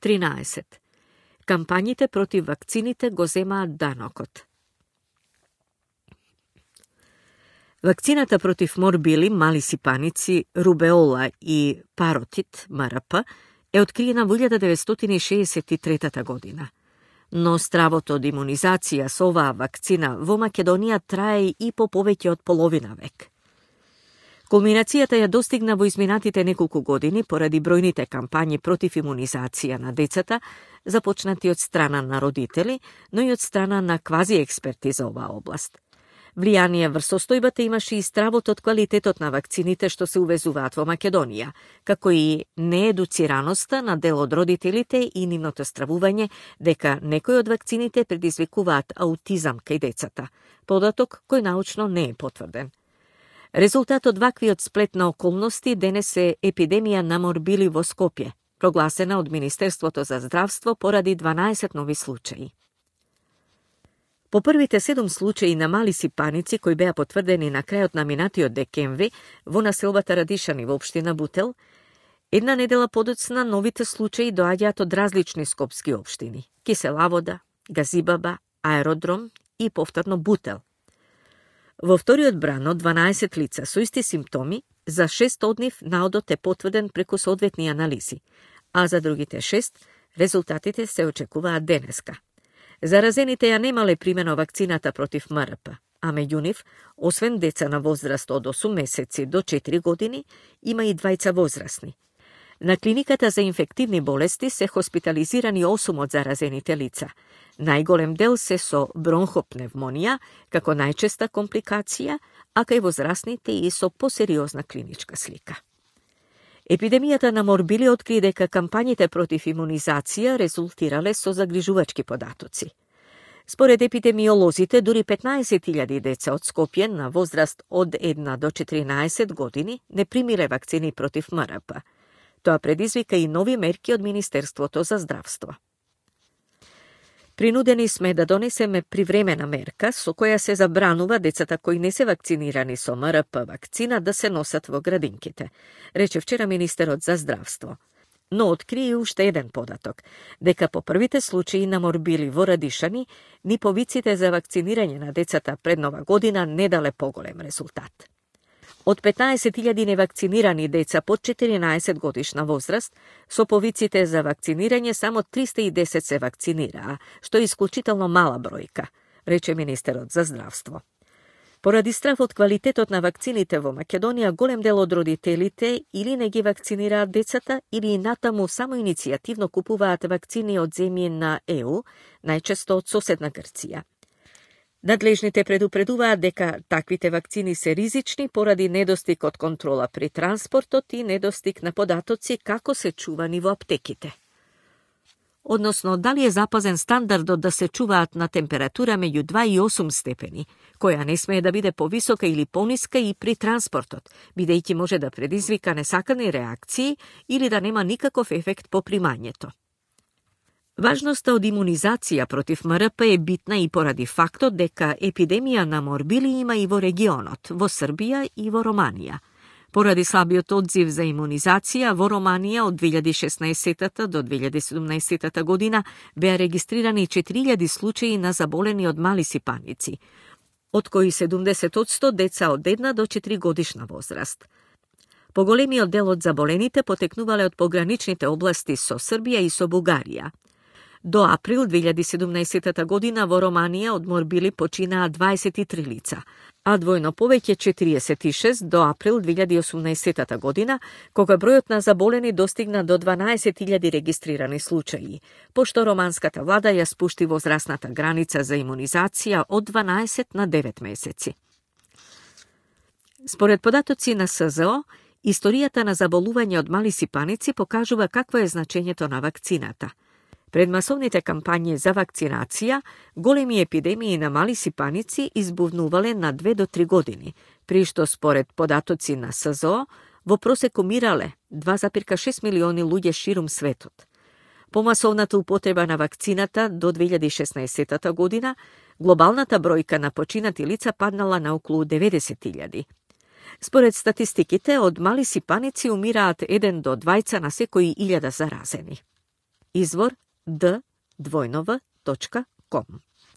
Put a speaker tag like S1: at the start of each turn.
S1: 13. Кампањите против вакцините го земаат данокот. Вакцината против морбили, мали сипаници, рубеола и паротит, МРП, е откриена во 1963 година. Но стравото од имунизација со оваа вакцина во Македонија трае и по повеќе од половина век. Кулминацијата ја достигна во изминатите неколку години поради бројните кампањи против имунизација на децата, започнати од страна на родители, но и од страна на квази експерти за оваа област. Влијание врз состојбата имаше и стравот од квалитетот на вакцините што се увезуваат во Македонија, како и неедуцираноста на дел од родителите и нивното стравување дека некои од вакцините предизвикуваат аутизам кај децата, податок кој научно не е потврден. Резултат од ваквиот сплет на околности денес е епидемија на морбили во Скопје, прогласена од Министерството за здравство поради 12 нови случаи. По првите 7 случаи на мали сипаници кои беа потврдени на крајот на минатиот декември во населбата Радишани во општина Бутел, една недела подоцна новите случаи доаѓаат од различни скопски општини: Кисела Вода, Газибаба, Аеродром и повторно Бутел. Во вториот брано 12 лица со исти симптоми, за 6 од нив наодот е потврден преку соодветни анализи, а за другите 6 резултатите се очекуваат денеска. Заразените ја немале примено вакцината против МРП, а меѓу нив, освен деца на возраст од 8 месеци до 4 години, има и двајца возрастни. На клиниката за инфективни болести се хоспитализирани 8 од заразените лица. Најголем дел се со бронхопневмонија, како најчеста компликација, а кај возрастните и со посериозна клиничка слика. Епидемијата на морбили откри дека кампањите против имунизација резултирале со загрижувачки податоци. Според епидемиолозите, дури 15.000 деца од Скопје на возраст од 1 до 14 години не примиле вакцини против МРП. Тоа предизвика и нови мерки од Министерството за здравство. Принудени сме да донесеме привремена мерка со која се забранува децата кои не се вакцинирани со МРП вакцина да се носат во градинките, рече вчера министерот за здравство. Но откри уште еден податок, дека по првите случаи на морбили во Радишани, ни повиците за вакцинирање на децата пред Нова година не дале поголем резултат. Од 15.000 невакцинирани деца под 14 годишна возраст, со повиците за вакцинирање само 310 се вакцинираа, што е исклучително мала бројка, рече министерот за здравство. Поради страф од квалитетот на вакцините во Македонија, голем дел од родителите или не ги вакцинираат децата, или и натаму само иницијативно купуваат вакцини од земји на ЕУ, најчесто од соседна Грција. Надлежните предупредуваат дека таквите вакцини се ризични поради недостиг од контрола при транспортот и недостиг на податоци како се чувани во аптеките. Односно, дали е запазен стандардот да се чуваат на температура меѓу 2 и 8 степени, која не смее да биде повисока или пониска и при транспортот, бидејќи може да предизвика несакани реакции или да нема никаков ефект по примањето. Важноста од имунизација против МРП е битна и поради фактот дека епидемија на морбили има и во регионот, во Србија и во Романија. Поради слабиот одзив за имунизација, во Романија од 2016 до 2017 година беа регистрирани 4000 случаи на заболени од мали сипаници, од кои 70% деца од 1 до 4 годишна возраст. Поголемиот дел од заболените потекнувале од пограничните области со Србија и со Бугарија. До април 2017 година во Романија од морбили починаа 23 лица, а двојно повеќе 46 до април 2018 година, кога бројот на заболени достигна до 12.000 регистрирани случаи, пошто романската влада ја спушти возрастната граница за имунизација од 12 на 9 месеци. Според податоци на СЗО, историјата на заболување од мали сипаници покажува какво е значењето на вакцината. Пред масовните кампањи за вакцинација, големи епидемии на мали сипаници избувнувале на 2 до 3 години, при што според податоци на СЗО во просек умирале 2,6 милиони луѓе ширум светот. По масовната употреба на вакцината до 2016 година, глобалната бројка на починати лица паднала на околу 90.000. Според статистиките, од мали сипаници умираат 1 до 2 на секои 1000 заразени. Извор d2v.com.